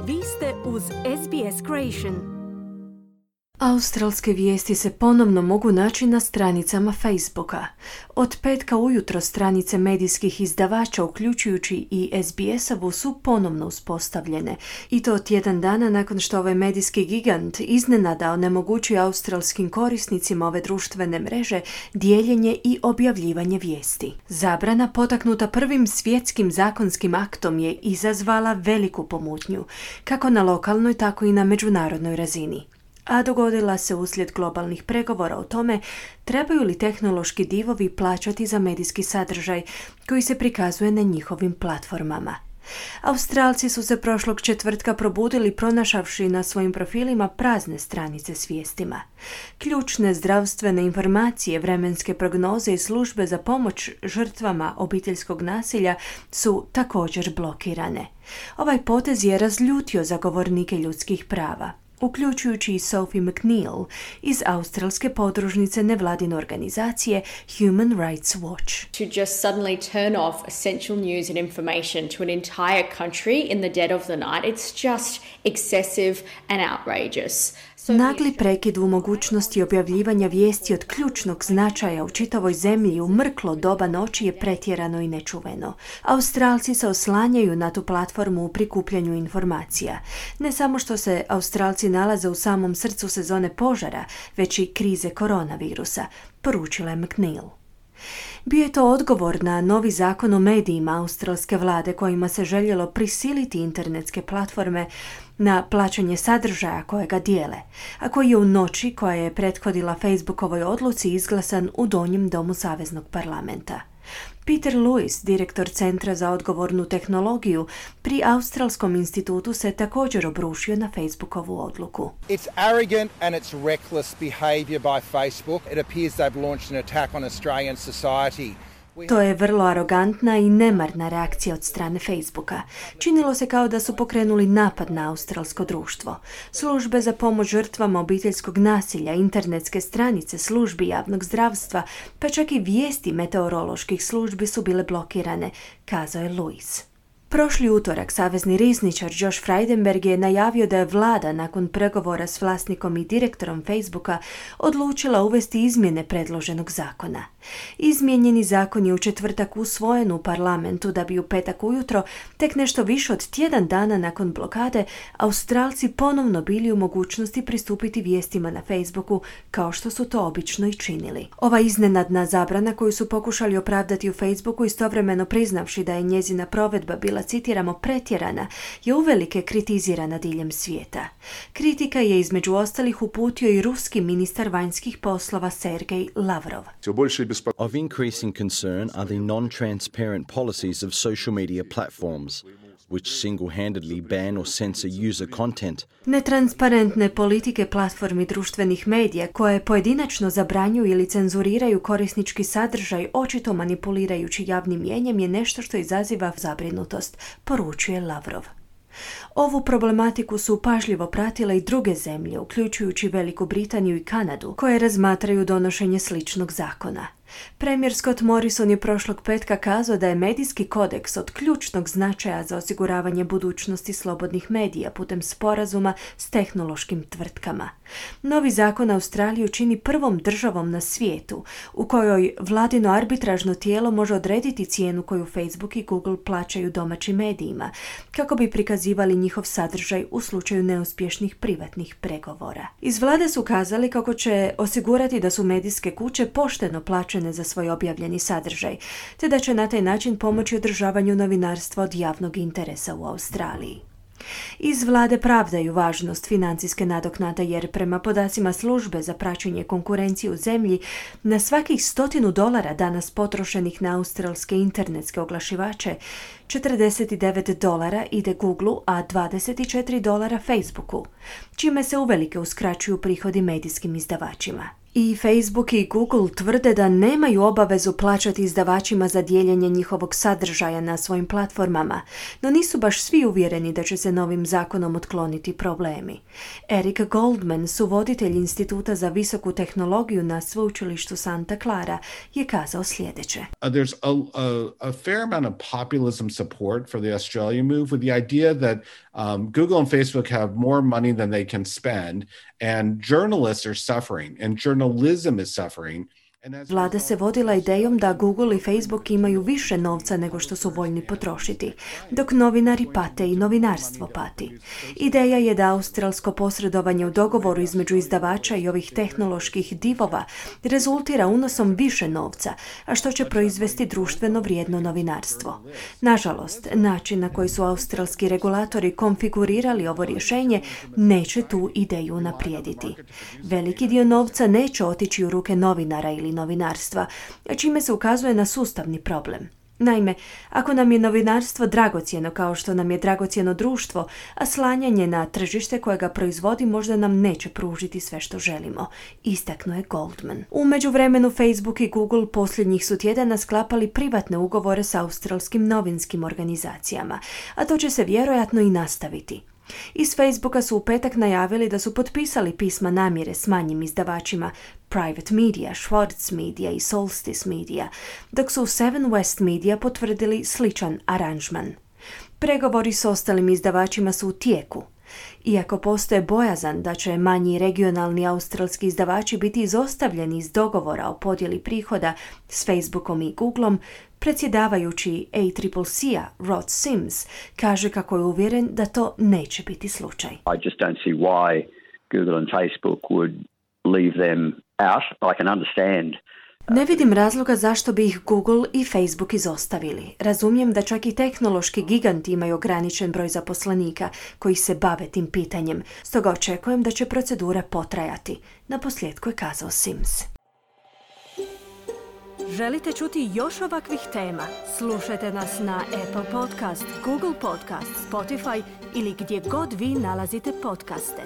Vi ste uz SBS Creation. Australske vijesti se ponovno mogu naći na stranicama Facebooka. Od petka ujutro stranice medijskih izdavača, uključujući i SBS-ovu, su ponovno uspostavljene. I to tjedan dana nakon što ovaj medijski gigant iznenada onemogućuje australskim korisnicima ove društvene mreže dijeljenje i objavljivanje vijesti. Zabrana, potaknuta prvim svjetskim zakonskim aktom, je izazvala veliku pomutnju, kako na lokalnoj, tako i na međunarodnoj razini. A dogodila se uslijed globalnih pregovora o tome trebaju li tehnološki divovi plaćati za medijski sadržaj koji se prikazuje na njihovim platformama. Australci su se prošlog četvrtka probudili pronašavši na svojim profilima prazne stranice s vijestima. Ključne zdravstvene informacije, vremenske prognoze i službe za pomoć žrtvama obiteljskog nasilja su također blokirane. Ovaj potez je razljutio zagovornike ljudskih prava, uključujući i Sophie McNeil iz australske podružnice nevladine organizacije Human Rights Watch. To just suddenly turn off essential news and information to an entire country in the dead of the night, it's just excessive and outrageous. Nagli prekid u mogućnosti objavljivanja vijesti od ključnog značaja u čitavoj zemlji u mrklo doba noći je pretjerano i nečuveno. Australci se oslanjaju na tu platformu u prikupljanju informacija. Ne samo što se Australci nalaze u samom srcu sezone požara, već i krize koronavirusa, poručila je McNeil. Bio je to odgovor na novi zakon o medijima australske vlade kojima se željelo prisiliti internetske platforme na plaćanje sadržaja kojega dijele, a koji je u noći koja je prethodila Facebookovoj odluci izglasan u donjem domu Saveznog parlamenta. Peter Lewis, direktor Centra za odgovornu tehnologiju pri Australskom institutu, se također obrušio na Facebookovu odluku. It's arrogant and it's reckless behavior by Facebook. It appears they've launched an attack on Australian society. To je vrlo arogantna i nemarna reakcija od strane Facebooka. Činilo se kao da su pokrenuli napad na australsko društvo. Službe za pomoć žrtvama obiteljskog nasilja, internetske stranice, službi javnog zdravstva, pa čak i vijesti meteoroloških službi su bile blokirane, kazao je Lewis. Prošli utorak savezni rizničar Josh Frydenberg je najavio da je vlada nakon pregovora s vlasnikom i direktorom Facebooka odlučila uvesti izmjene predloženog zakona. Izmijenjeni zakon je u četvrtak usvojen u parlamentu da bi u petak ujutro, tek nešto više od tjedan dana nakon blokade, Australci ponovno bili u mogućnosti pristupiti vijestima na Facebooku kao što su to obično i činili. Ova iznenadna zabrana koju su pokušali opravdati u Facebooku, istovremeno priznavši da je njezina provedba bila, citiramo, pretjerana, je uvelike kritizirana diljem svijeta. Kritika je između ostalih uputio i ruski ministar vanjskih poslova Sergej Lavrov. Of increasing concern are the non-transparent policies of social media platforms, which single-handedly ban or censor user content. Netransparentne politike platformi društvenih medija koje pojedinačno zabranjuju ili cenzuriraju korisnički sadržaj, očito manipulirajući javnim mnijenjem, je nešto što izaziva zabrinutost, poručuje Lavrov. Ovu problematiku su pažljivo pratile i druge zemlje, uključujući Veliku Britaniju i Kanadu, koje razmatraju donošenje sličnog zakona. Premijer Scott Morrison je prošlog petka kazao da je medijski kodeks od ključnog značaja za osiguravanje budućnosti slobodnih medija putem sporazuma s tehnološkim tvrtkama. Novi zakon Australiju čini prvom državom na svijetu u kojoj vladino arbitražno tijelo može odrediti cijenu koju Facebook i Google plaćaju domaćim medijima, kako bi prikazivali njihov sadržaj u slučaju neuspješnih privatnih pregovora. Iz vlade su kazali kako će osigurati da su medijske kuće pošteno plaćene za svoj objavljeni sadržaj, te da će na taj način pomoći održavanju novinarstva od javnog interesa u Australiji. Iz vlade pravdaju važnost financijske nadoknade jer prema podacima službe za praćenje konkurencije u zemlji, na svakih $100 danas potrošenih na australske internetske oglašivače, $49 ide Googleu, a $24 Facebooku, čime se uvelike uskraćuju prihodi medijskim izdavačima. I Facebook i Google tvrde da nemaju obavezu plaćati izdavačima za dijeljenje njihovog sadržaja na svojim platformama, no nisu baš svi uvjereni da će se novim zakonom otkloniti problemi. Eric Goldman, suvoditelj Instituta za visoku tehnologiju na sveučilištu Santa Clara, je kazao sljedeće. There's a fair amount of populism support for the Australia move with the idea that Google and Facebook have more money than they can spend, and journalists are suffering, and journalism is suffering. Vlada se vodila idejom da Google i Facebook imaju više novca nego što su voljni potrošiti, dok novinari pate i novinarstvo pati. Ideja je da australsko posredovanje u dogovoru između izdavača i ovih tehnoloških divova rezultira unosom više novca, a što će proizvesti društveno vrijedno novinarstvo. Nažalost, način na koji su australski regulatori konfigurirali ovo rješenje neće tu ideju unaprijediti. Veliki dio novca neće otići u ruke novinara ili novinarstva, čime se ukazuje na sustavni problem. Naime, ako nam je novinarstvo dragocjeno kao što nam je dragocjeno društvo, a slanjanje na tržište koje ga proizvodi možda nam neće pružiti sve što želimo, istaknuo je Goldman. U međuvremenu Facebook i Google posljednjih su tjedana sklapali privatne ugovore s australskim novinskim organizacijama, a to će se vjerojatno i nastaviti. Iz Facebooka su u petak najavili da su potpisali pisma namjere s manjim izdavačima Private Media, Schwartz Media i Solstice Media, dok su Seven West Media potvrdili sličan aranžman. Pregovori s ostalim izdavačima su u tijeku. Iako postoje bojazan da će manji regionalni australski izdavači biti izostavljeni iz dogovora o podjeli prihoda s Facebookom i Googleom, predsjedavajući ACCC-a Rod Sims kaže kako je uvjeren da to neće biti slučaj. I just don't see why Google and Facebook would leave them out. I can understand. Ne vidim razloga zašto bi ih Google i Facebook izostavili. Razumijem da čak i tehnološki giganti imaju ograničen broj zaposlenika koji se bave tim pitanjem, stoga očekujem da će procedura potrajati. Naposljetku je kazao Sims. Želite čuti još ovakvih tema? Slušajte nas na Apple Podcast, Google Podcast, Spotify ili gdje god vi nalazite podcaste.